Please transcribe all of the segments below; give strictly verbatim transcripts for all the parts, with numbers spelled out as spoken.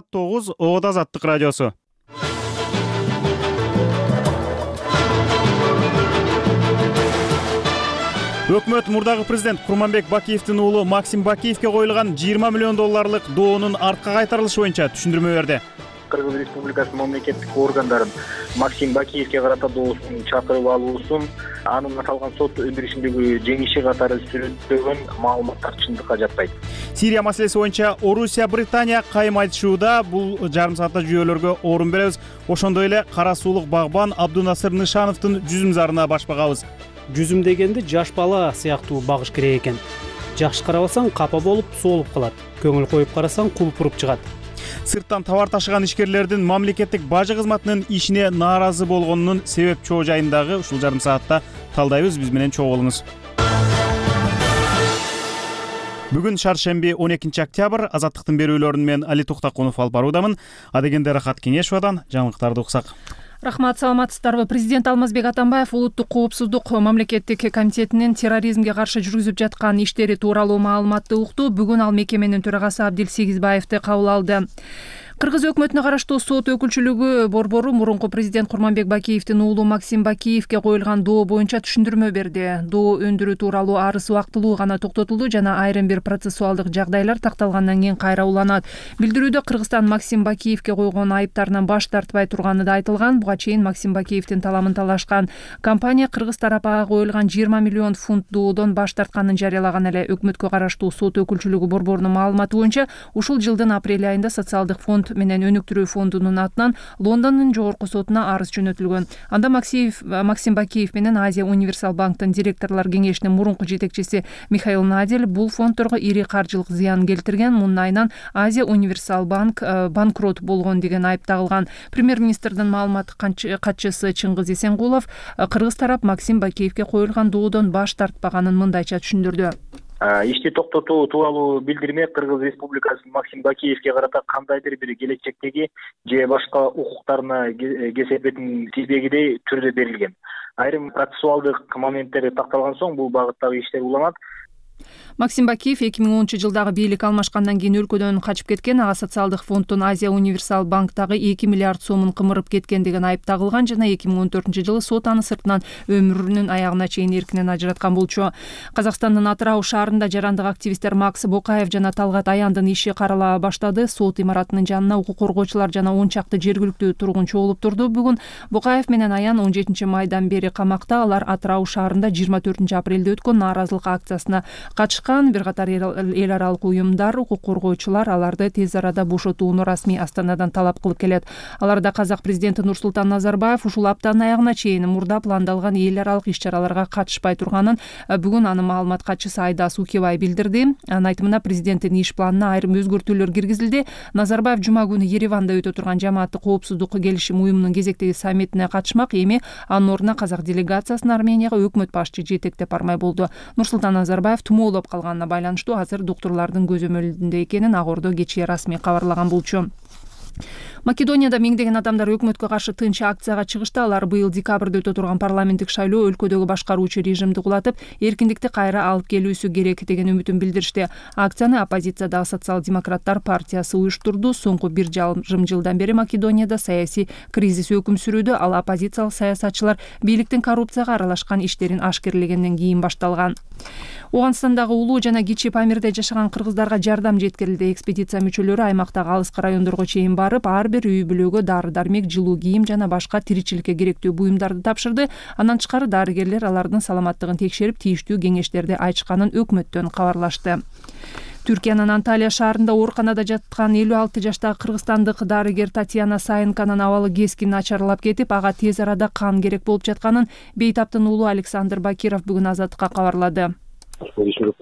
тогуз Оодо Азаттык радиосу. Өкмөт мурдагы президент Курманбек Бакиевдин уулу Максим Бакиевге коюлган жыйырма миллион долларлык доонун артка кайтарылышы боюнча түшүндүрмө берди. Кыргыз Республикасынын мамлекеттик органдарын Максим Бакиевге карата доосун чакырып алуусун анын аталган сот өндүрүшүндөгү жеңиши катары сүрөттөгөн маалыматтар чындыкка жатпайт. Сирия маселеси боюнча Орусия, Британия кайым айтышууда. Бул жарым саатта жүйөлөргө орун беребиз. Ошондой эле кара суулук багбан Абдунасыр Нышановдун жүзүм зарына баш багабыз. Жүзүм дегенди жаш бала сыяктуу багыш керек экен. Жакшы карабасаң капа болуп соолуп калат. Көңүл коюп карасаң кулпуруп чыгат. Сырттан товар ташыган ишкерлердин мамлекеттик бажы кызматынын ишине нааразы болгонунун себеп чоо жайындагы ушул жарым саатта талдайбыз. Биз менен чогуу болуңуз. Бүгүн шаршемби он экинчи октябрь. Азаттыктын берүүлөрүн мен Али Туктакунов алып баруудамын. Адегенде Рахат Кеңешовадан жаңылыктарды уксак. Рахмат, саламатсыздарбы. Президент Алмазбек Атамбаев улуттук коопсуздук мамлекеттик комитетинин терроризмге каршы жүргүзүп жаткан иштери тууралуу маалыматты укту. Бүгүн ал мекеменин төрагасы Абдил Сегизбаевди кабыл алды. Кыргыз өкмөтүнө караштуу сот өкүлчүлүгү борбору мурунку президент Курманбек Бакиевдин уулу Максим Бакиевге коюлган доо боюнча түшүндүрмө берди. Доо өндүрүү тууралуу арыз убактылуу гана токтотулду жана айрым бир процессуалдык жагдайлар такталгандан кийин кайра уланат. Билдирүүдө Кыргызстан Максим Бакиевге койгон айыптарынан баш тартпай турганы да айтылган. Буга чейин Максим Бакиевдин таламын талашкан компания Кыргыз тарапага коюлган жыйырма миллион фунт доодон баш тартканын жарыялаган эле. Өкмөткө караштуу сот өкүлчүлүгү борборунун маалыматы боюнча ушул жылдын апрель айында социалдык фонд менен өнүктүрүү фондунун атынан Лондондун жогорку сотуна арыз жөнөтүлгөн. Анда Максим Бакиев менен Азия Универсал банктын директорлор кеңешинин мурунку жетекчиси Михаил Надель бул фондторго ири каржылык зыян келтирген. Мунун айынан Азия Универсал банк банкрот болгон деген айып тагылган. Премьер-министрдин маалымат катчысы Чыңгыз Эсенгулов Кыргыз тарап Максим Бакиевге коюлган доодон баш тартпаганын мындайча түшүндүрдү. Ишти токтотуу тууралуу билдирме Кыргыз Республикасынын Максим Бакиевге карата кандайдыр бир келечектеги же башка укуктарына кесепетин тийбегидей түрдө берилген. Айрым процессуалдык моменттери такталган соң бул багыттагы иштер уланат. Максим Бакиев эки миң онунчу жылдагы бийлик алмашкандан кийин өлкөдөн качып кеткен. Ага социалдык фонддун Азия Универсал банктагы эки миллиард сомун кымырып кеткен деген айып тагылган жана эки миң он төртүнчү жылы сот аны сыртынан өмүрүнүн аягына чейин эркинен ажыраткан болчу. Казакстандын Атырау шаарында жарандык активисттер Макс Бокаев жана Талгат Аяндын иши карала баштады. Сот имаратынын жанына укук коргоочулар жана он чакты жергиликтүү тургун чогулуп турду. Бүгүн Бокаев менен Аян он жетинчи майдан бери камакта. Алар Атырау шаарында жыйырма төртүнчү апрелде өткөн нааразылык акциясына катышкан. Бир катар эл аралык уюмдар, укук коргоочулар аларды тез арада бошотууну расмий Астанадан талап кылып келет. Аларда казак президенти Нурсултан Назарбаев ушул аптанын аягына чейин мурда пландалган эл аралык иш-чараларга катышпай турганын бүгүн анын маалымат катчысы Айдас Укебай билдирди. Анын айтымына президенттин иш планына айрым өзгөртүүлөр киргизилди. Назарбаев жума күнү Ереванда өтө турган жамааттык коопсуздук келишим уюмунун кезектеги саммитине катышмак. Эми анын ордуна казак делегациясын Арменияга өкмөт башчы жетектеп бармай болду. Нурсултан Назарбаев тумоолоп калганына байланыштуу азыр доктурлардын көзөмөлүндө экенин Ак Ордо кечээ расмий кабарлаган болчу. Македонияда миңдеген адамдар өкмөткө каршы тынч акцияга чыгышты. Алар быйыл декабрда өтө турган парламенттик шайлоо өлкөдөгү башкаруучу режимди кулатып, эркиндикти кайра алып келүүсү керек деген үмүтүн билдиришти. Акцияны оппозициядагы социал-демократтар партиясы уюштурду. Соңку бир жарым жылдан бери Македонияда саясий кризис өкүм сүрүүдө. Ал оппозициялык саясатчылар бийликтин коррупцияга аралашкан иштерин ашкерлегенден кийин башталган. Оганстандагы улуу жана кичи Памирде жашаган кыргыздарга жардам жеткирилди. Экспедиция мүчөлөрү аймактагы алыскы райондорго чейин барып, ар бир үй бүлөгө дары-дармек, жылуу кийим жана башка тиричиликке керектүү буюмдарды тапшырды. Андан тышкары дарыгерлер алардын саламаттыгын текшерип, тийиштүү кеңештерди айтышканын өкмөттөн кабарлашты. Түркиянын Анталия шаарында ооруканада жаткан элүү алты жаштагы кыргызстандык дарыгер Татьяна Саенканын абалы кескин начарлап кетип, ага тез арада кан керек болуп жатканын бейтаптын уулу Александр Бакиров бүгүн Азаттыкка кабарлады.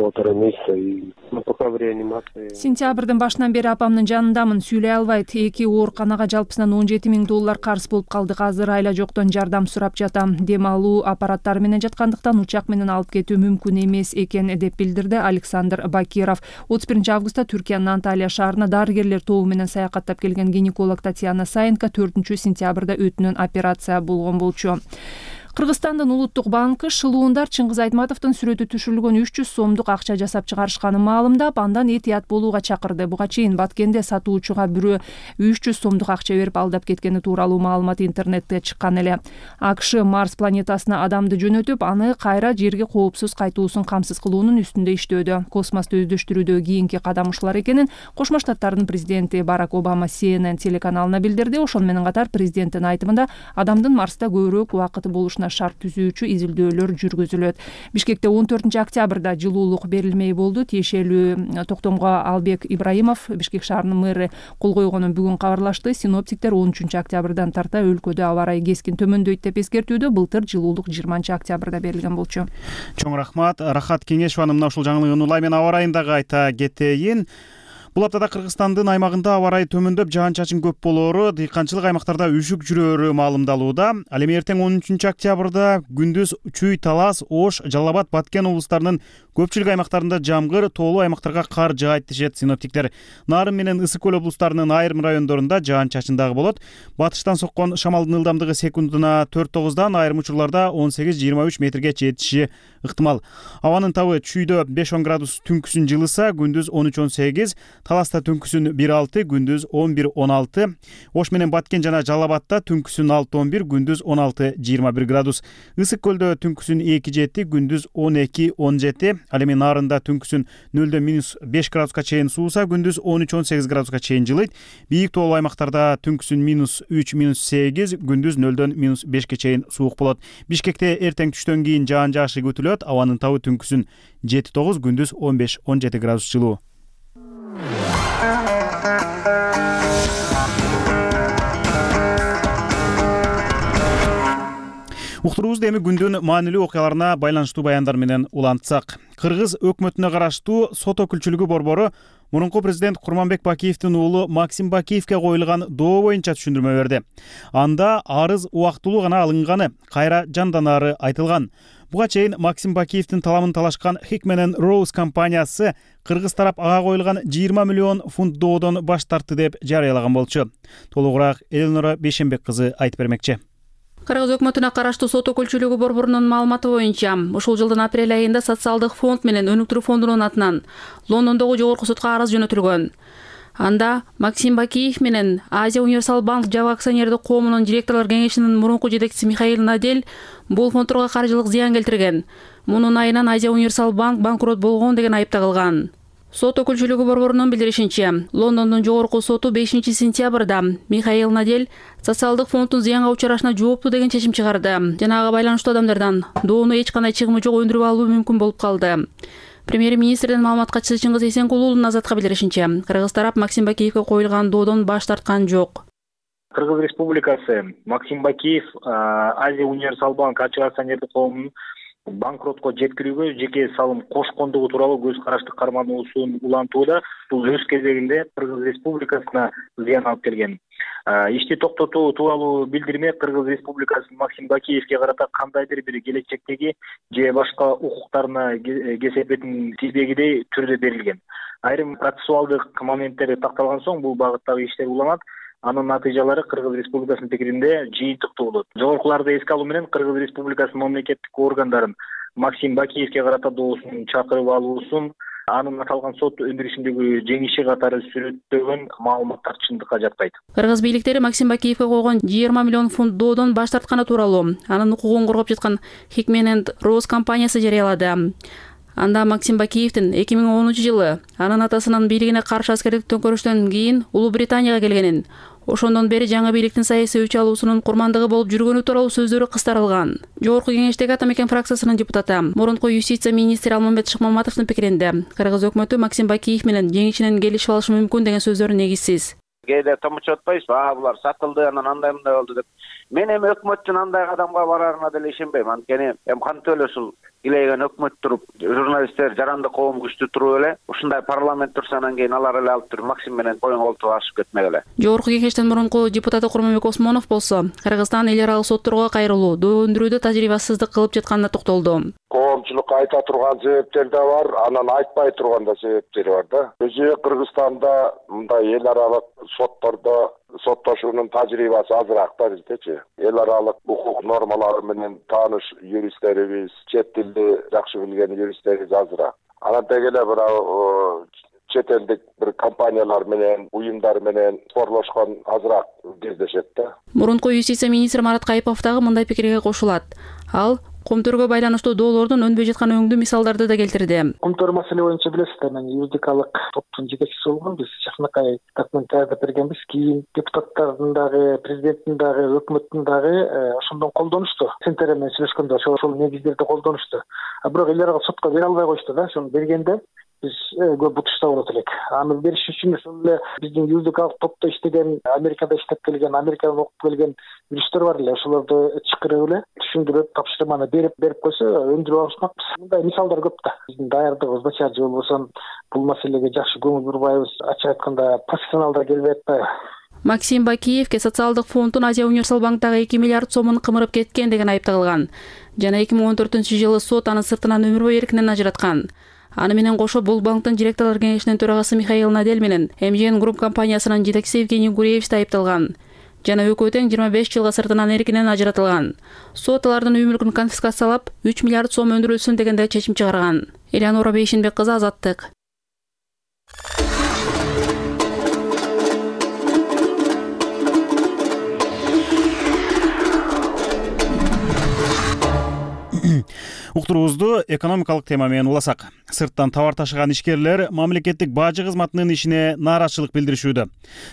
полтора месяца и ну, пока в реанимации. Сентябрдын башынан бери апамдын жанындамын, сүйлөй албайт. Эки ооруканага жалпысынан он жети миң доллар карыз болуп калдык. Азыр айла жоктон жардам сурап жатам. Дем алуу аппараттары менен жаткандыктан учак менен алып кетүү мүмкүн эмес экен деп билдирди Александр Бакиров. отуз биринчи августта Түркиянын Анталия шаарына дарыгерлер тобу менен саякаттап келген гинеколог Татьяна Саенко төртүнчү сентябрда өтүнөн операция болгон болчу. Кыргызстандын улуттук банкы шылуундар Чыңгыз Айтматовдун сүрөтү түшүрүлгөн үч жүз сомдук акча жасап чыгарышканын маалымдап, андан этият болууга чакырды. Буга чейин Баткенде сатуучуга бирөө үч жүз сомдук акча берип алдап кеткени тууралуу маалымат интернетте чыккан эле. АКШ Марс планетасына адамды жөнөтүп, аны кайра жерге коопсуз кайтуусун камсыз кылуунун үстүндө иштөөдө. Космосту өздөштүрүүдө кийинки кадам ушулар экенин Кошмо Штаттардын президенти Барак Обама Си Эн Эн телеканалына билдирди. Ошону менен катар президенттин айтымында адамдын Марста көбүрөөк убакыты болушуна шарт түзүүчү изилдөөлөр жүргүзүлөт. Бишкекте он төртүнчү октябрда жылуулук берилмей болду. Тиешелүү токтомго Албек Ибраимов, Бишкек шаарынын мэрі, кол койгонун бүгүн кабарлашты. Синоптиктер он үчүнчү октябрдан тарта өлкөдө аба ырайы кескин төмөндөйт деп эскертүүдө. Былтыр жылуулук жыйырманчы октябрда берилген болчу. Чоң рахмат. Рахат Кеңешованы мына ушул жаңылыгын улай мен аба ырайындагы айта кетейин. Бул аптада Кыргызстандын аймагында аба ырайы төмөндөп, жаан-чачын көп болоору, дыйканчылык аймактарда үшүк жүрөөрү маалымдалууда. Ал эми эртең он үчүнчү октябрда күндүз Чүй, Талас, Ош, Жалал Абад, Баткен облустарынын көпчүлүк аймактарында жамгыр, тоолуу аймактарга кар жаайт дешет синоптиктер. Нарын менен Ысык көл облустарынын айрым райондорунда жаан-чачын дагы болот. Батыштан соккон шамалдын ылдамдыгы секундуна төрт тогуздан, айрым учурларда он сегиз жыйырма үч метрге жетиши ыктымал. Абанын табы Чүйдө беш он градус түнкүсүн жылыса, күндүз он үч он сегиз, Таласта түнкүсүн бир алты, күндүз он бир он алты. Ош менен Баткен жана Жалал Абадта түнкүсүн алты он бир, күндүз он алты жыйырма бир градус. Ысык көлдө түнкүсүн эки жети, күндүз он эки он жети. Ал эми Нарында түнкүсүн нөлдөн минус беш градуска чейин сууса, күндүз он үч он сегиз градуска чейин жылыйт. Бийик тоолуу аймактарда түнкүсүн минус үч минус сегиз, күндүз нөлдөн минус бешке чейин суук болот. Бишкекте эртең түштөн кийин жаан жаашы күтүлөт. Абанын табы түнкүсүн жети тогуз, күндүз он беш он жети градус жылуу. Уктуруубузду эми күндүн маанилүү окуяларына байланыштуу баяндар менен улантсак. Кыргыз өкмөтүнө караштуу сот өкүлчүлүгү борбору мурунку президент Курманбек Бакиевдин уулу Максим Бакиевке коюлган доо боюнча түшүндүрмө берди. Анда арыз убактылуу гана алынганы, кайра жанданаары айтылган. Буга чейин Максим Бакиевдин таламын талашкан Хикмен Роуз компаниясы кыргыз тарап ага коюлган жыйырма миллион фунт доодон баш тартты деп жарыялаган болчу. Толугураак Элнора Бейшенбек кызы айтып бермекчи. Кыргыз өкмөтүнө караштуу сот өкүлчүлүгү борборунун маалыматы боюнча, ушул жылдын апрель айында социалдык фонд менен өнүктүрүү фондунун атынан Лондондогу жогорку сотко арыз жөнөтүлгөн. Анда Максим Бакиев менен Азия Универсал банк жабык акционердик коомунун директорлор кеңешинин мурунку жетекчиси Михаил Надель бул фондторго каржылык зыян келтирген. Мунун айынан Азия Универсал банк банкрот болгон деген айып тагылган. Сот өкүлчүлүгү борборунун билдиришинче, Лондондун жогорку соту бешинчи сентябрда Михаил Надель социалдык фонддун зыянга учурашына жооптуу деген чечим чыгарды. Жана ага байланыштуу адамдардан доону эч кандай чыгымы жок өндүрүп алуу мүмкүн болуп калды. Премьер-министрдин маалымат катчысы Чыңгыз Эсенкул уулунун Азатка билдиришинче, Кыргыз тарап Максим Бакиевке коюлган доодон баш тарткан жок. Кыргыз Республикасы Максим Бакиев Азия Универсал банк ачык акционердик коомунун банкротко жеткирүүгө жеке салым кошкондугу тууралуу көз карашты кармануусун улантууда. Бул өз кезегинде Кыргыз Республикасына зыян алып келген. Ишти токтотуу тууралуу билдирме Кыргыз Республикасынын Максим Бакиевке карата кандайдыр бир келечектеги же башка укуктарына кесепетин тийбегидей түрдө берилген. Айрым процессуалдык моменттери такталган соң бул багыттагы иштер уланат. Анын натыйжалары Кыргыз Республикасынын пикиринде жыйынтыктуу болот. Жогоркуларды эске алуу менен Кыргыз Республикасынын мамлекеттик органдарын Максим Бакиевке карата доосун чакырып алуусун, анын аталган сот өндүрүшүндөгү жеңиши катары сүрөттөгөн маалыматтар чындыкка жатпайт. Кыргыз бийликтери Максим Бакиевке койгон жыйырма миллион фунт доодон баш тартканы тууралуу анын укугун коргоп жаткан Хикмен Роуз компаниясы жарыялады. Анда Максим Бакиевдин эки миң онунчу жылы анын атасынын бийлигине каршы аскердик төңкөрүштөн кийин Улуу Британияга келгенин, ошондон бери жаңы бийликтин саясий өч алуусунун курмандыгы болуп жүргөнү тууралуу сөздөрү кыстарылган. Жогорку кеңештеги Ата Мекен фракциясынын депутаты, мурунку юстиция министри Алмамбет Шыкмаматовдун пикиринде, Кыргыз өкмөтү Максим Бакиев менен жеңишинен келишип алышы мүмкүн деген сөздөр негизсиз. Кээде томчотуп атпайсызбы, а булар сатылды, анан андай мындай болду деп. Мен эми өкмөттүн андай кадамга барарына деле ишенбейм. Анткени эми кантип эле ушул илейген өкмөт туруп, журналисттер жаранды коом күчтүү туруп эле, ушундай парламент турса анан кийин алар эле алып туруп Максим менен коюн колтуп ашып кетмек эле. Жогорку кеңештин мурунку депутаты Курманбек Осмонов болсо, Кыргызстан эл аралык сотторго кайрылуу, доо өндүрүүдө тажрыйбасыздык кылып жатканына токтолду. Коом коомчулукка айта турган себептер да бар, анан айтпай турган да себептери бар да. Өзү Кыргызстанда мындай эл аралык соттордо соттошуунун тажрыйбасы азыраак да биздечи. Эл аралык укук нормалары менен тааныш юристтерибиз, чет тилди жакшы билген юристтерибиз азыраак. Анан деги эле бир чет элдик бир компаниялар менен, уюмдар менен спорлошкон азыраак кездешет да. Мурунку юстиция министри Марат Кайыпов дагы мындай пикирге кошулат. Ал Комтөргө байланыштуу доолордун өнбөй жаткан өңдүү мисалдарды да келтирди. Комтөр маселе боюнча билесиздер, мен юридикалык топтун жетекчиси болгом. Биз жакынакай документ даярдап бергенбиз. Кийин депутаттардын дагы, президенттин дагы, өкмөттүн дагы ошондон колдонушту. Сентер менен сүйлөшкөндө ошол негиздерди колдонушту. А бирок эл аралык сотко бере албай коюшту да. Ошону бергенде биз көп бутушта болот элек. Аны бериш үчүн ошол эле биздин юридикалык топто иштеген, Америкада иштеп келген, Америкадан окуп келген юристтер бар эле. Ошолорду чакырып эле түшүндүрүп, тапшырманы берип берип койсо өндүрүп алышмакпыз. Мындай мисалдар көп да. Биздин даярдыгыбыз начар же болбосо бул маселеге жакшы көңүл бурбайбыз. Ачык айтканда профессионалдар келбей атпайбы. Максим Бакиевке социалдык фонддун Азия Универсал банктагы эки миллиард сомун кымырып кеткен деген айып тагылган. Жана эки миң он төртүнчү жылы сот аны сыртынан өмүр бою эркинен ажыраткан. Аны менен кошо бул банктын директорлор кеңешинин төрагасы Михаил Надель менен эм жи эн Групп компаниясынын жетекчиси Евгений Гуреевич да айыпталган. Жана экөө тең жыйырма беш жылга сыртынан эркинен ажыратылган. Сот алардын үй мүлкүн конфискациялап үч миллиард сом өндүрүлсүн дегенде чечим чыгарган. Элеонора Бейшинбек кызы, Азаттык. Уктуруубузду экономикалык тема менен уласак. Сырттан товар ташыган ишкерлер мамлекеттик бажы кызматынын ишине нааразычылык билдиришүүдө.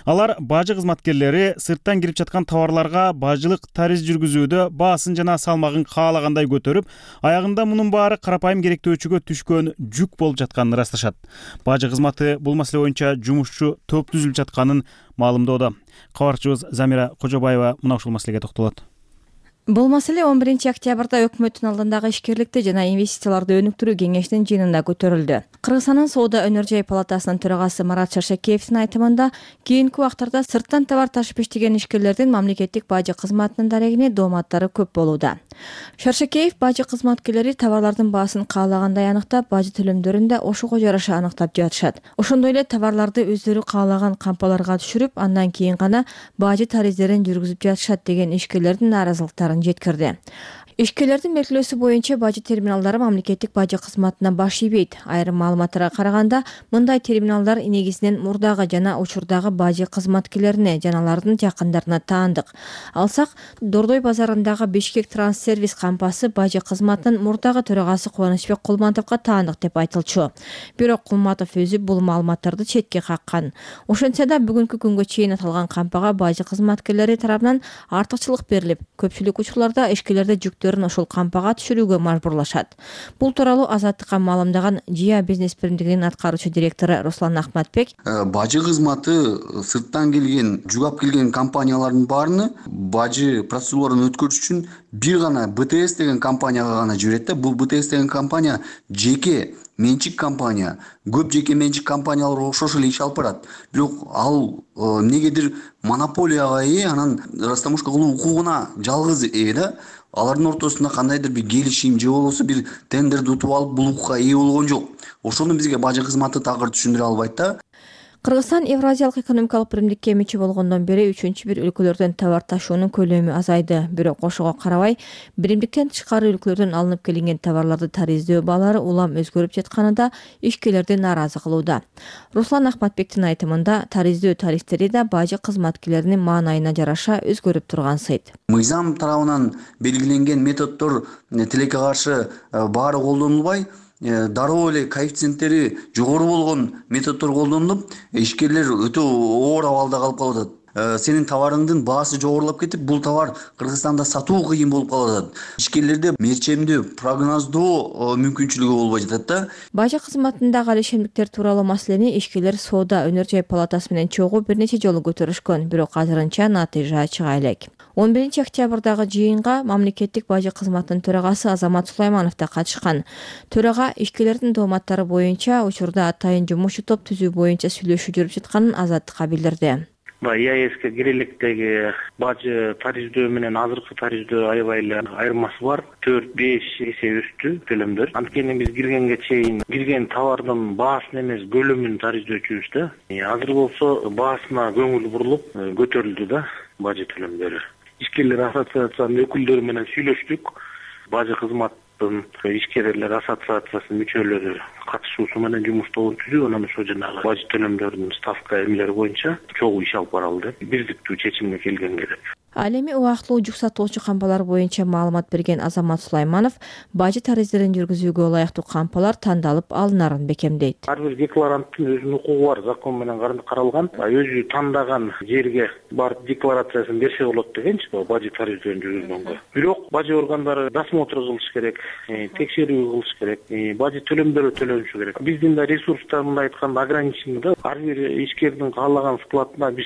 Алар бажы кызматкерлери сырттан кирип жаткан товарларга бажылык тариз жүргүзүүдө баасын жана салмагын каалагандай көтөрүп, аягында мунун баары карапайым керектөөчүгө түшкөн жүк болуп жатканын ырасташат. Бажы кызматы бул маселе боюнча жумушчу топ түзүлүп жатканын маалымдоодо. Кабарчыбыз Замира Кожобаева мына ушул маселеге токтолот. Бул маселе он биринчи октябрда өкмөттүн алдындагы ишкерликти жана инвестицияларды өнүктүрүү кеңешинин жыйынында көтөрүлдү. Кыргызстандын Соода өнөр-жай палатасынын төрагасы Марат Шаршакеевдин айтымында, кийинки убактарда сырттан товар ташып иштеген ишкерлердин мамлекеттик бажы кызматынын дарегине дооматтары көп болууда. Шаршакеев бажы кызматкерлери товарлардын баасын каалагандай аныктап, бажы төлөмдөрүн да ошого жараша аныктап жатышат. Ошондой эле товарларды өздөрү каалаган кампаларга түшүрүп, андан кийин гана бажы тариздерин жүргүзүп жатышат деген ишкерлердин нааразылыктарын жеткирди. Ишкерлердин белгилөөсү боюнча бажы терминалдары мамлекеттик бажы кызматына баш ийбейт. Айрым маалыматтарга караганда, мындай терминалдар негизинен мурдагы жана учурдагы бажы кызматкерлерине жана алардын жакындарына таандык. Алсак, Дордой базарындагы Бишкек Транссервис кампасы бажы кызматынын мурдагы төрагасы Кубанычбек Кулматовго таандык деп айтылчу. Бирок Кулматов өзү бул маалыматтарды четке каккан. Ошентсе да бүгүнкү күнгө чейин аталган кампага бажы кызматкерлери тарабынан артыкчылык берилип, көпчүлүк учурларда ишкерлерди жүктө ошол кампага түшүрүүгө мажбурлашат. Бул тууралуу Азаттыкка маалымдаган Жия бизнес биримдигинин аткаруучу директору Руслан Ахматбек, бажы кызматы сырттан келген, жүгап келген компаниялардын баарыны бажы процедураларын өткөрүш үчүн бир гана бэ тэ эс деген компанияга гана жиберет да. Бул бэ тэ эс деген компания жеке менчик компания. Көп жеке менчик компаниялар окшош эле иш алып барат. Бирок ал эмнегедир монополияга ээ, анан растамушка кылуу укугуна жалгыз ээ да. Алардын ортосунда кандайдыр бир келишим же болбосо бир тендерди утуп алып бул укукка ээ болгон жок. Ошону бизге бажы кызматы такыр түшүндүрө албайт да. Кыргызстан Евразиялык экономикалык биримдикке мүчө болгондон бери үчүнчү бир өлкөлөрдөн товар ташуунун көлөмү азайды. Бирок ошого карабай, биримдиктен тышкары өлкөлөрдөн алынып келинген товарларды тариздөө баалары улам өзгөрүп жатканы да ишкерлерди нааразы кылууда. Руслан Ахматбектин айтымында, тариздөө тарифтери да бажы кызматкерлеринин маанайына жараша өзгөрүп турган сыйт. Мыйзам тарабынан белгиленген методдор тилекке каршы баары колдонулбай, дароо эле коэффициенттери жогору болгон методдор колдонулуп, ишкерлер өтө оор абалда калып калып атат. Сенин товарыңдын баасы жогорулап кетип, бул товар Кыргызстанда сатуу кыйын болуп калып атат. Ишкерлерде мерчемдүү, прогноздоо мүмкүнчүлүгү болбой жатат да. Бажы кызматындагы алишемдиктер тууралуу маселени ишкерлер Соода өнөр-жай палатасы менен чогуу бир нече жолу көтөрүшкөн, бирок азырынча натыйжа чыга элек. он биринчи октябрдагы жыйынга мамлекеттик бажы кызматынын төрагасы Азамат Сулайманов да катышкан. Төрага ишкерлердин дооматтары боюнча учурда атайын жумушчу топ түзүү боюнча сүйлөшүү жүрүп жатканын Азаттыкка билдирди. мына и а э ске кире электеги бажы тарифдөө менен азыркы тарифдөө аябай эле айырмасы бар. төрт беш эсе өстү төлөмдөр. Анткени биз киргенге чейин кирген товардын баасын эмес, көлөмүн тарифдөөчүбүз да. Азыр болсо баасына көңүл бурулуп көтөрүлдү да бажы төлөмдөрү. Ишкерлер ассоциациясынын өкүлдөрү менен сүйлөштүк. Бажы кызматтын ишкерлер ассоциациясынын мүчөлөрү катышуусу менен жумуш тобун түзүп, анан ошо жанагы бажы төлөмдөрүнүн ставка эмелери боюнча чогуу иш алып баралы деп бирдиктүү чечимге келгенге деп. Ал эми убактылуу жүк сатуучу кампалар боюнча маалымат берген Азамат Сулайманов бажы тарифдерин жүргүзүүгө ылайыктуу кампалар тандалып алынарын бекемдейт. Ар бир декларанттын өзүнүн укугу бар, закон менен каралган. Өзү тандаган жерге барып декларациясын берсе болот дегенчи бажы тарифдерин жүргүзгөнгө. Бирок бажы органдары досмотр кылыш керек, текшерүү кылыш керек, бажы төлөмдөрү төлөнүшү керек. Биздин да ресурстар мындай айтканда ограничены да. Ар бир ишкердин каалаган складына биз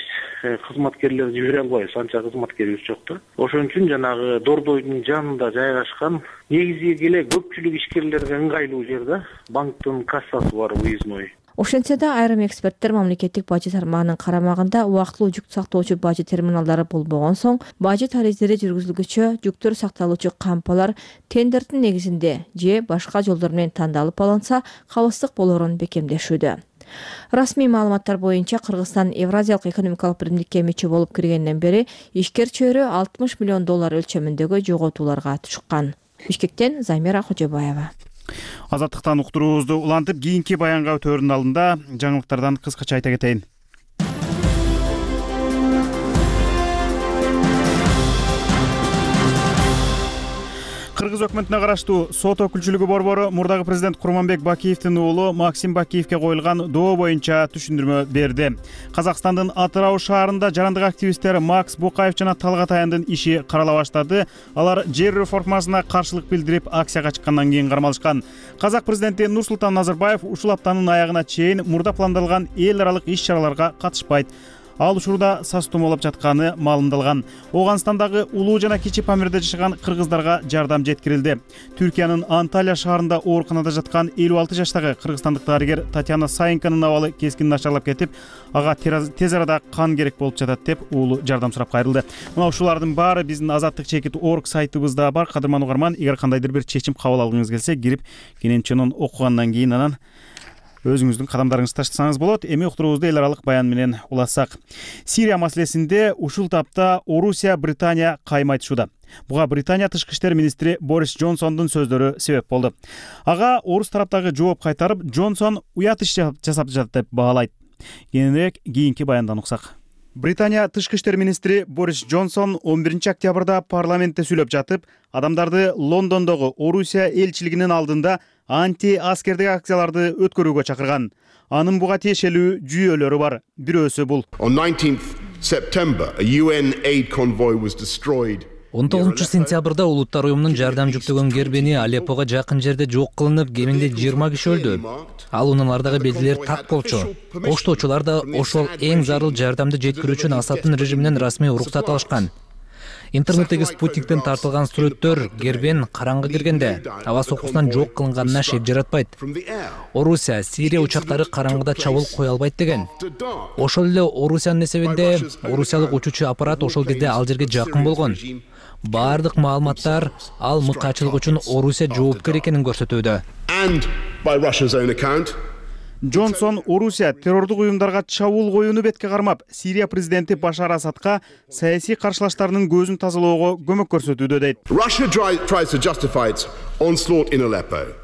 кызматкерлерди жибере албайбыз, анча кызматкерибиз жок да. Ошон үчүн жанагы Дордойдун жанында жайгашкан негизги эле көпчүлүк ишкерлерге ыңгайлуу жер да. Банктын кассасы бар, выездной. Ошентсе да айрым эксперттер мамлекеттик бажы тармагынын карамагында убактылуу жүк сактоочу бажы терминалдары болбогон соң бажы тарифдери жүргүзүлгүчө жүктөр сакталуучу кампалар тендердин негизинде же башка жолдор менен тандалып алынса кабылсыздык болоорун бекемдешүүдө. Расмий маалыматтар боюнча Кыргызстан Евразиялык экономикалык биримдикке мүчө болуп киргенден бери ишкер чөйрө алтымыш миллион доллар өлчөмүндөгү жоготууларга чыккан. Бишкектен Замира Кожобаева. Азаттыктан уктуруубузду улантып, кийинки баянга өтөөрүнүн алдында жаңылыктардан кыскача айта кетейин. Кыргыз өкмөтүнө караштуу сот өкүлчүлүгү борбору мурдагы президент Курманбек Бакиевдин уулу Максим Бакиевке коюлган доо боюнча түшүндүрмө берди. Казакстандын Атырау шаарында жарандык активисттер Макс Букаев жана Талгат Аяндын иши карала баштады. Алар жер реформасына каршылык билдирип акцияга чыккандан кийин кармалышкан. Казак президенти Нурсултан Назарбаев ушул аптанын аягына чейин мурда пландалган эл аралык иш-чараларга катышпайт. Ал учурда сас тумоолоп жатканы маалымдалган. Ооганстандагы улуу жана кичи Памирде жашаган кыргыздарга жардам жеткирилди. Түркиянын Анталия шаарында ооруканада жаткан элүү алты жаштагы кыргызстандык дарыгер Татьяна Саенканын абалы кескин начарлап кетип, ага тез арада кан керек болуп жатат деп уулу жардам сурап кайрылды. Мына ушулардын баары биздин азаттык чекит точка орг сайтыбызда бар. Кадырман угарман, эгер кандайдыр бир чечим кабыл алгыңыз келсе, кирип кененченон окугандан кийин анан өзүңүздүн кадамдарыңызды таштасаңыз болот. Эми уктуруубузду эл аралык баян менен улассак. Сирия маселесинде ушул тапта Орусия, Британия кайым айтышууда. Буга Британия тышкы иштер министри Борис Джонсондун сөздөрү себеп болду. Ага орус тараптагы жооп кайтарып, Джонсон уят иш жасап жатат деп баалайт. Кийинирээк кийинки баяндан уксак. Британия тышкы иштер министри Борис Джонсон он биринчи октябрда парламентте сүйлөп жатып, адамдарды Лондондогу Орусия элчилигинин алдында анти-аскердик акцияларды өткөрүүгө чакырган. Анын буга тиешелүү жүйөлөрү бар. Бирөөсү бул. On nineteenth September, a U N aid convoy was destroyed. он тогузунчу сентябрда Улуттар уюмунун жардам жүктөгөн кербени Алеппого жакын жерде жок кылынып, кеминде жыйырма киши өлдү. Ал унаалардагы белгилер так болчу. Коштоочулар да ошол эң зарыл жардамды жеткирүү үчүн Асаддын режиминен расмий уруксат алышкан. Интернеттеги спутниктен тартылган сүрөттөр гербен караңгы киргенде аба сокусунан жок кылынганына шек жаратпайт. Орусия, Сирия учактары караңгыда чабуул кое албайт деген. Ошол эле Орусиянын эсебинде орусиялык учуучу аппарат ошол кезде ал жерге жакын болгон. Бардык маалыматтар ал мыкаачылык үчүн Орусия жоопкер экенин көрсөтүүдө. Джонсон Орусия террордук уюмдарга чабуул коюуну бетке кармап, Сирия президенти Башар Асадка саясий каршылаштарынын көзүн тазалоого көмөк көрсөтүүдө дейт.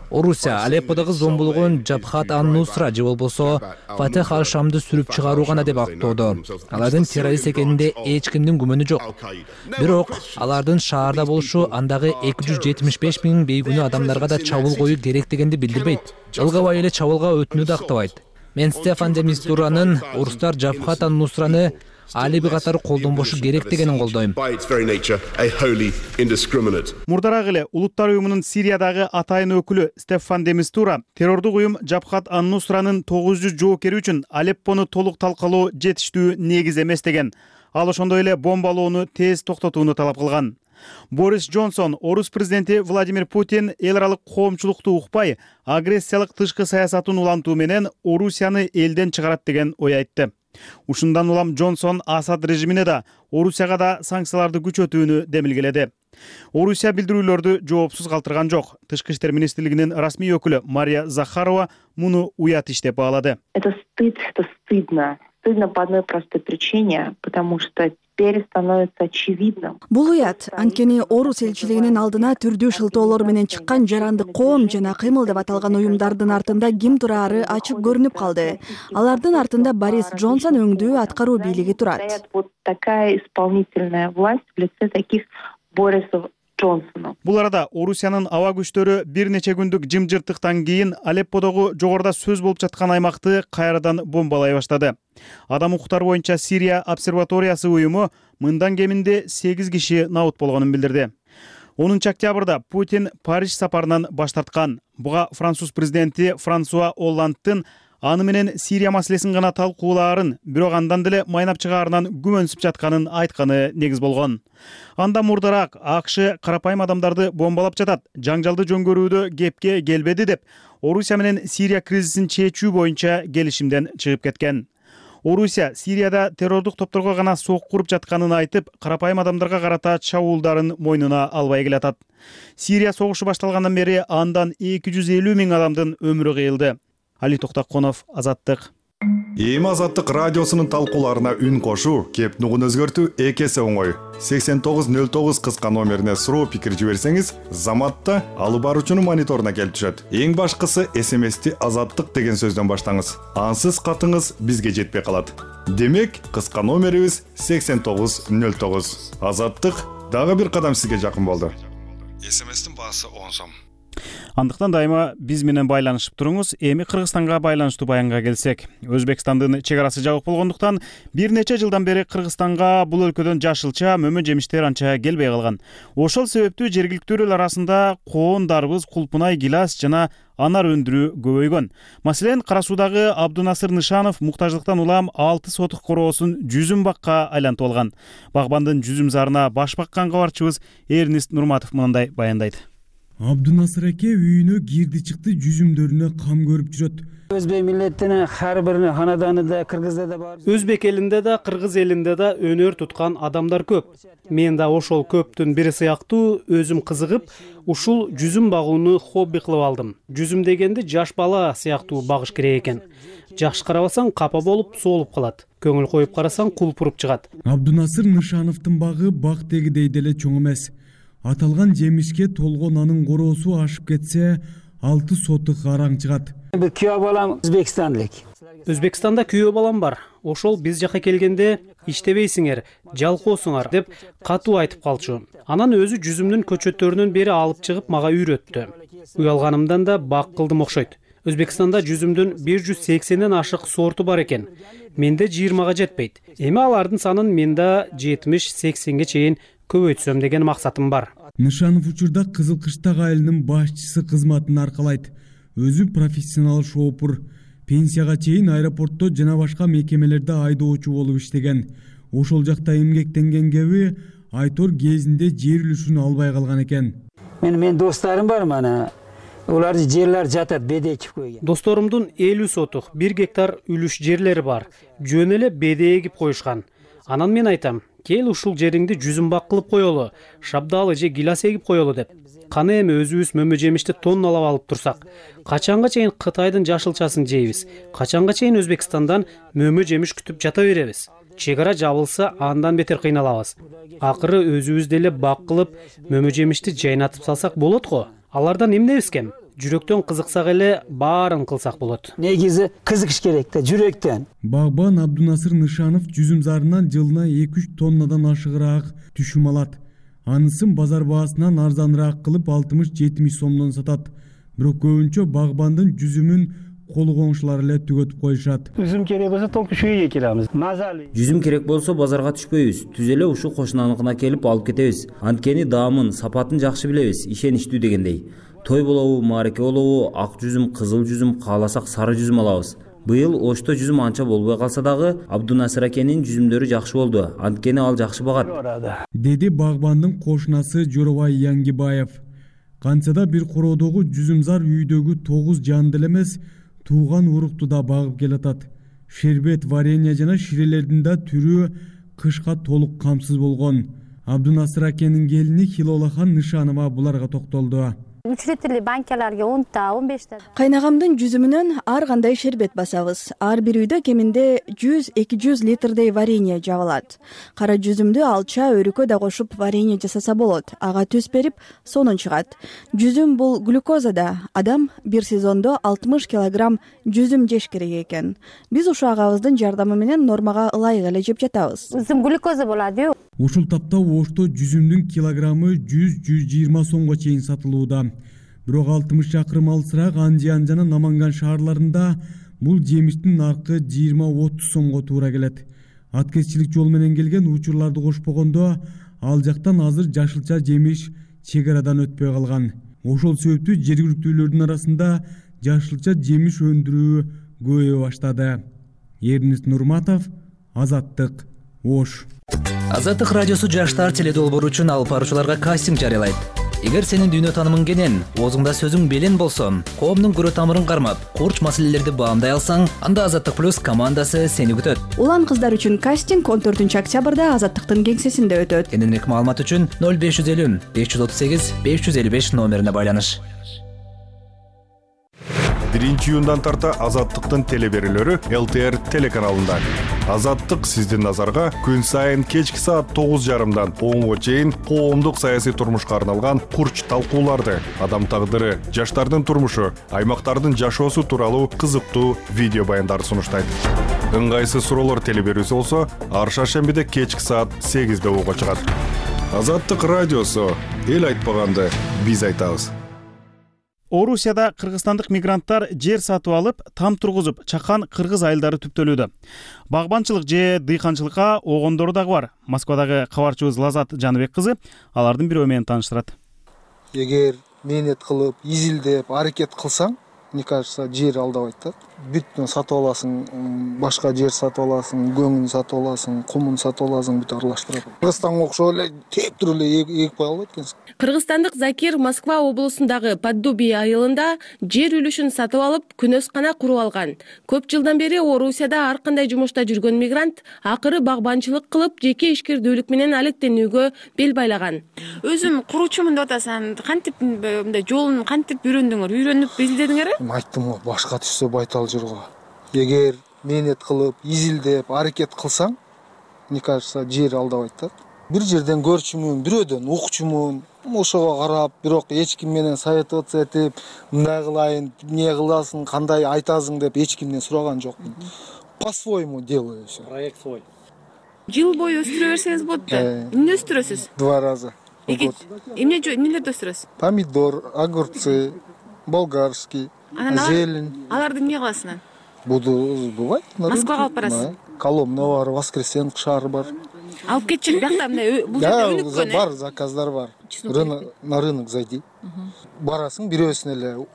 Орусия Алепподогу зомбулугун Жабхат ан-Нусра же болбосо Фатех ал-Шамды сүрүп чыгаруу гана деп актоодо. Алардын террорист экенинде эч кимдин күмөнү жок. Бирок алардын шаарда болушу андагы эки жүз жетимиш беш миң бейгүнөө адамдарга да чабуул коюу керек дегенди билдирбейт. Ылгабай эле чабуулга өтүүнү да актабайт. Мен Стефан де Мистуранын орустар Жабхат ан-Нусраны алиби катары колдонбошу керек дегенин колдойм. Мурдараак эле Улуттар уюмунун Сириядагы атайын өкүлү Стефан де Мистура террордук уюм Жабхат ан-Нусранын тогуз жүз жоокери үчүн Алеппону толук талкалоо жетиштүү негиз эмес деген. Ал ошондой эле бомбалоону тез токтотууну талап кылган. Борис Джонсон, орус президенти Владимир Путин эл аралык коомчулукту укпай, агрессиялык тышкы саясатын улантуу менен Орусияны элден чыгарат деген ой айтты. Ушундан улам Джонсон Асад режимине да, Орусияга да санкцияларды күчөтүүнү демилгеледи. Орусия билдирүүлөрдү жоопсуз калтырган жок. Тышкы иштер министрлигинин расмий өкүлү Мария Захарова муну уят иш деп баалады. Это стыд, это стыдно. Стыдно по одной простой причине, потому что теперь становится очевидным. Бул уят, анткени Орус элчилигинин алдына түрдүү шылтоолор менен чыккан жаранды коом жана кыймыл деп аталган уюмдардын артында ким турары ачык көрүнүп калды. Алардын артында Борис Джонсон өңдүү аткаруу бийлиги турат. Вот такая исполнительная власть в лице таких Борисов Джонсону. Бул арада Орусиянын аба күчтөрү бир нече күндүк жымжырттыктан кийин Алепподогу жогоруда сөз болуп жаткан аймакты кайрадан бомбалай баштады. Адам укуктары боюнча Сирия обсерваториясы уюму мындан кеминде сегиз киши набыт болгонун билдирди. онунчу октябрда Путин Париж сапарынан баш тарткан. Буга француз президенти Франсуа Олландтын аны менен Сирия маселесин гана талкуулаарын, бирок андан деле майнап чыгаарынан күмөнсүп жатканын айтканы негиз болгон. Анда мурдараак АКШ карапайым адамдарды бомбалап жатат, жаңжалды жөнгөрүүдө кепке келбеди деп, Орусия менен Сирия кризисин чечүү боюнча келишимден чыгып кеткен. Орусия Сирияда террордук топторго гана сок куруп жатканын айтып, карапайым адамдарга карата чабуулдарын мойнуна албай келатат. Сирия согушу башталгандан бери андан эки жүз элүү миң адамдын өмүрү кыйылды. Али Токтаконов, Азаттык. Эми Азаттык радиосунун талкууларына үн кошуу, кеп нугун өзгөртүү эки эсе оңой. сексен тогуз нөл тогуз кыска номерине суроо пикир жиберсеңиз, Заматта алып баруучунун мониторуна келип түшөт. Эң башкысы эс эм эсти Азаттык деген сөздөн баштаңыз. Ансыз катыңыз бизге жетпей калат. Демек, кыска номерибиз сексен тогуз нөл тогуз. Азаттык дагы бир кадам сизге жакын болду. эс эм эстин баасы он сом. Андыктан дайыма биз менен байланышып туруңуз. Эми Кыргызстанга байланыштуу баянга келсек, Өзбекстандын чек арасы жабык болгондуктан бир нече жылдан бери Кыргызстанга бул өлкөдөн жашылча, мөмө жемиштер анча келбей калган. Ошол себептүү жергиликтүү эл арасында коон, дарбыз, кулпунай, гилас жана анар өндүрүү көбөйгөн. Маселен, Кара Суудагы Абдунасыр Нышанов муктаждыктан улам алты сотук короосун жүзүм бакка айлантып алган. Багбандын жүзүм зарына баш баккан кабарчыбыз Эрнист Нурматов мындай баяндайт. Абдунасыр эке үйүнө кирди чыкты жүзүмдөрүнө кам көрүп жүрөт. Өзбек миллетинин ар бир ханаданында, Кыргызда да бар. Өзбек элинде да, Кыргыз элинде да өнөр туткан адамдар көп. Мен да ошол көптүн бири сыяктуу өзүм кызыгып, ушул жүзүм багууну хобби кылып алдым. Жүзүм дегенди жаш бала сыяктуу багыш керек экен. Жакшы карабасаң капа болуп, соолуп калат. Көңүл коюп карасаң кулпуруп чыгат. Абдунасыр Нышановдун багы бак дегидей деле чоң эмес. Аталган жемишке толгон анын короосу ашып кетсе, алты сотук араң чыгат. Бир күйөө балам Өзбекстандык. Өзбекстанда күйөө балам бар. Ошол биз жака келгенде иштебейсиңер, жалкоосуңар деп катуу айтып калчу. Анан өзү жүзүмдүн көчөттөрүнөн бери алып чыгып мага үйрөттү. Уялганымдан да бак кылдым окшойт. Өзбекстанда жүзүмдүн бир жүз сексенден ашык сорту бар экен. Менде жыйырмага жетпейт. Эми алардын санын менде жетимиш сексенге чейин көбөйтсөм деген максатым бар. Нышанов учурда Кызыл Кыштак айылынын башчысы кызматын аркалайт. Өзү профессионал шоопур. Пенсияга чейин аэропортто жана башка мекемелерде айдоочу болуп иштеген. Ошол жакта эмгектенген кеби Айтор кезинде жер үлүшүн албай калган экен. Мен мен досторум бар мана. Улар жерлер жатат, беде эгип койгон. Досторумдун элүү сотук, бир гектар үлүш жерлери бар. Жөн эле беде эгип коюшкан. Анан мен айтам, кел ушул жериңди жүзүм бак кылып коелу, шабдалы же гилас эгип коелу деп. Каны эми өзүбүз мөмө жемишти тонналап алып турсак, качанга чейин Кытайдын жашылчасын жейбиз? Качанга чейин Өзбекстандан мөмө жемиш күтүп жата беребиз? Чек ара жабылса, андан бетер кыйналабыз. Акыры өзүбүз деле бак кылып, мөмө жемишти жайнатып салсак болот го. Алардан эмнебиз кем? Жүрөктөн кызыксак эле баарын кылсак болот. Негизи кызыгыш керек да, жүрөктөн. Багбан Абдунасыр Нышанов жүзүм зарынан жылына эки үч тоннадан ашыгыраак түшүм алат. Анысын базар баасынан арзаныраак кылып алтымыш жетимиш сомдон сатат. Бирок көбүнчө багбандын жүзүмүн кол коңшулар эле түгөтүп коюшат. Жүзүм керек болсо толку ушул жерге келебиз. Мазали. Жүзүм керек болсо базарга түшпөйбүз. Түз эле ушул кошунаныкына келип алып кетебиз. Анткени даамын, сапатын жакшы билебиз, ишеничтүү дегендей. Той болобу, маареке болобу, ак жүзүм, кызыл жүзүм, кааласак сары жүзүм алабыз. Быйыл Ошто жүзүм анча болбой калса дагы, Абдунасыр акенин жүзүмдөрү жакшы болду. Анткени ал жакшы багат. Деди багбандын кошунасы Жоробай Яңгибаев. Кантса бир короодогу жүзүм зар үйдөгү тогуз жанды эле эмес, тууган урукту да багып келатат. шербет, варенье жана ширелердин да түрү кышка толук камсыз болгон. Абдунасыр акенин келини Хилолахан Нышанова буларга токтолду. үч литрлүү банкаларга онта он беште кайнагамдын жүзүмүнөн ар кандай шербет басабыз. Ар бир үйдө кеминде жүз эки жүз литрдей варенье жабылат. Кара жүзүмдү алча, өрүкө да кошуп варенье жасаса болот. Ага түз берип, сонун чыгат. Жүзүм бул глюкоза да. Адам бир сезондо алтымыш килограмм жүзүм жеш керек экен. Биз ушу агабыздын жардамы менен нормага ылайык эле жеп жатабыз. Жүзүм глюкоза болот. Ушул тапта Ошто жүзүмдүн килограммы жүз жүз жыйырма сомго чейин сатылууда. Бирок алтымыш чакырым алысыраак Андиан жана Наманган шаарларында бул жемиштин наркы жыйырма отуз сомго туура келет. Аткезчилик жол менен келген учурларды кошпогондо ал жактан азыр жашылча жемиш чек арадан өтпөй калган. Ошол себептүү жергиликтүүлөрдүн арасында жашылча жемиш өндүрүү көбөйө баштады. Эрнест Нурматов, Азаттык, Ош. Азаттык радиосу жаштар теледолбоору үчүн алып баруучуларга кастинг жарыялайт. Эгер сенин дүйнө таанымың кенен, оозуңда сөзүң белен болсо, коомдун көрө тамырын кармап, курч маселелерди баамдай алсаң, анда Азаттык плюс командасы сени күтөт. Улан кыздар үчүн кастинг он төртүнчү октябрда Азаттыктын кеңсесинде өтөт. Кененирээк маалымат үчүн ноль беш жүз элүү беш жүз отуз сегиз беш жүз элүү беш номерине байланыш. биринчи июндан тарта Азаттыктын телеберүүлөрү эл тэ эр телеканалында. Азаттык сиздин назарга күн сайын кечки саат тогуз жарымдан онго чейин коомдук саясий турмушка арналган курч талкууларды, адам тагдыры, жаштардын турмушу, аймактардын жашоосу тууралуу кызыктуу видео баяндарды сунуштайт. Ыңгайсыз суроолор телеберүүсү болсо, ар шаршембиде кечки саат сегизде угууга чыгат. Азаттык радиосу, эл айтпаганды биз айтабыз. Орусияда кыргызстандык мигранттар жер сатып алып, там тургузуп, чакан кыргыз айылдары түптөлүүдө. Багбанчылык же дыйканчылыкка огондору дагы бар. Москвадагы кабарчыбыз Лазат Жаныбек кызы алардын бирөө менен тааныштырат. Эгер мээнет кылып, изилдеп, аракет кылсаң, мне кажется, жер алдабайт да. Бүт сатып аласың, башка жер сатып аласың, көңүн сатып аласың, кумун сатып аласың, бүт аралаштырат. Кыргызстанга окшоп эле тептирип эле эгип кое албайт экенсиң. Кыргызстандык Закир Москва облусундагы Поддубий айылында жер үлүшүн сатып алып, күнөскана куруп алган. Көп жылдан бери Орусияда ар кандай жумушта жүргөн мигрант акыры багбанчылык кылып, жеке ишкердүүлүк менен алектенүүгө бел байлаган. Өзүм куруучумун деп атасаң, кантип мындай жолун кантип үйрөндүңөр? Үйрөнүп изилдедиңерби? Айттым го, башка түшсө байтал жүргө. Эгер мээнет кылып, изилдеп, аракет кылсаң, мне кажется, жер алдабайт да. Бир жерден көрчүмүн, бирөөдөн укчумун, ошого карап, бирок эч ким менен советоваться этип, мындай кылайын, эмне кыласың, кандай айтасың деп эч кимден сураган жокмун. По-своему делаю всё. Проект свой. Жыл бою өстүрө берсеңиз болот да. Эмне өстүрөсүз? Два раза. Эмне эмнелерди өстүрөсүз? Помидор, огурцы, болгарский, зелень. Аларды эмне кыласың? Буду бывает. Москвага алып барасыз? Коломна бар, Воскресенск шаары бар. Алып кетчи, биякта мындай бул жерде өнүккөн. Бар, заказдар бар. На рынок зайди. Барасың, бирөөсүн эле.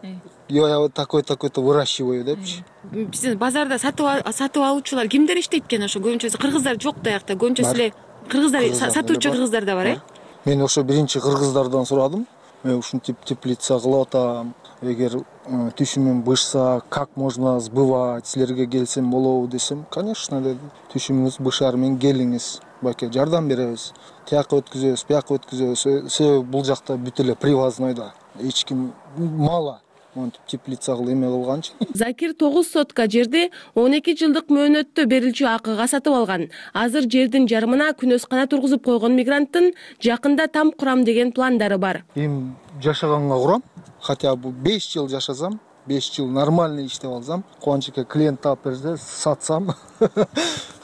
Я такой такой-то выращиваю депчи. Биздин базарда сатып алуучулар кимдер иштейт экен? Ошо көбүнчөсү кыргыздар жок да аякта. Көбүнчөсү эле кыргыздар сатуучу кыргыздар да бар, э? Мен ошо биринчи кыргыздардан сурадым. Мен ушинтип теплица кылып атам. Эгер түшүмүм бышса, как можно сбывать, силерге келсем болобу десем, конечно деди. Түшүмүңүз бышар, мен келиңиз, баке жардам беребиз. Тияка өткүзөбүз, бияка өткүзөбүз. Себеби бул жакта бүт эле привозной да. Эч ким мало монтип теплица кылып эме кылганчы. Закир тогуз сотка жерди он эки жылдык мөөнөттө берилчү акыга сатып алган. Азыр жердин жарымына күнөскана тургузуп койгон мигранттын жакында там курам деген пландары бар. Эми жашаганга курам, хотя бы беш жыл жашасам, беш жыл нормально иштеп алсам, кубанычка клиент таап берсе, сатсам,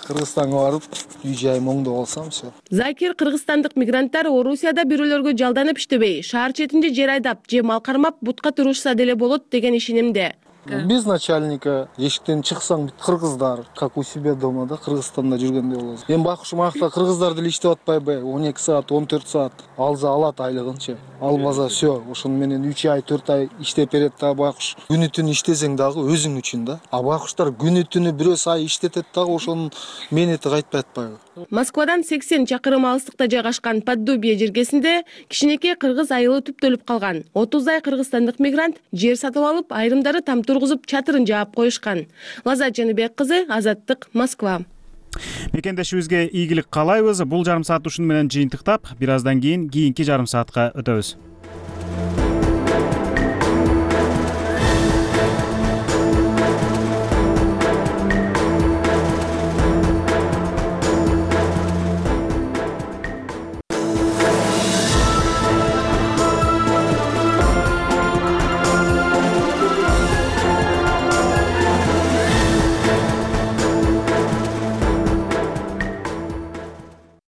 Кыргызстанга барып, үй жайым оңдоп алсам все. Закир кыргызстандык мигранттар Орусияда бирөөлөргө жалданып иштебей, шаар четинде жер айдап же мал кармап бутка турушса деле болот деген ишенимде. Без начальника эшиктен чыксаң бүт кыргыздар, как у себя дома да, Кыргызстанда жүргөндөй болосуң. Эми байкуш макта кыргыздар деле иштеп атпайбы? он эки саат, он төрт саат алса алат айлыгынчы. Албаса все, ошону менен үч ай, төрт ай иштеп берет да байкуш. Күнү түнү иштесең дагы өзүң үчүн да. А байкуштар күнү түнү бирөө сай иштетет дагы ошонун мээнети кайтпай атпайбы? Москвадан сексен чакырым алыстыкта жайгашкан Поддубие жергесинде кичинекей кыргыз айылы түптөлүп калган. отуздай кыргызстандык мигрант жер сатып алып, айрымдары там тургузуп, чатырын жаап коюшкан. Лазат Жаныбек кызы, Азаттык, Москва. Мекендешибизге ийгилик каалайбыз. Бул жарым саат ушуну менен жыйынтыктап, бир аздан кийин кийинки жарым саатка өтөбүз.